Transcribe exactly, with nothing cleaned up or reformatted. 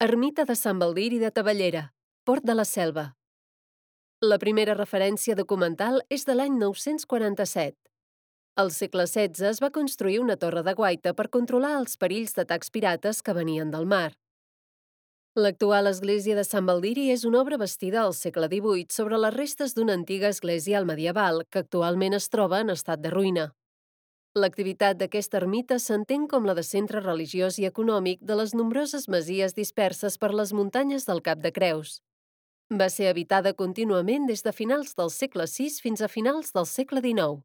Ermita de Sant Baldiri de Tavellera, Port de la Selva. La primera referència documental és de l'any nou-cents quaranta-set. Al segle setze es va construir una torre de guaita per controlar els perills d'atacs pirates que venien del mar. L'actual església de Sant Baldiri és una obra bastida al segle divuit sobre les restes d'una antiga església al medieval que actualment es troba en estat de ruïna. L'activitat d'aquesta ermita s'entén com la de centre religiós i econòmic de les nombroses masies disperses per les muntanyes del Cap de Creus. Va ser habitada contínuament des de finals del segle sis fins a finals del segle dinou.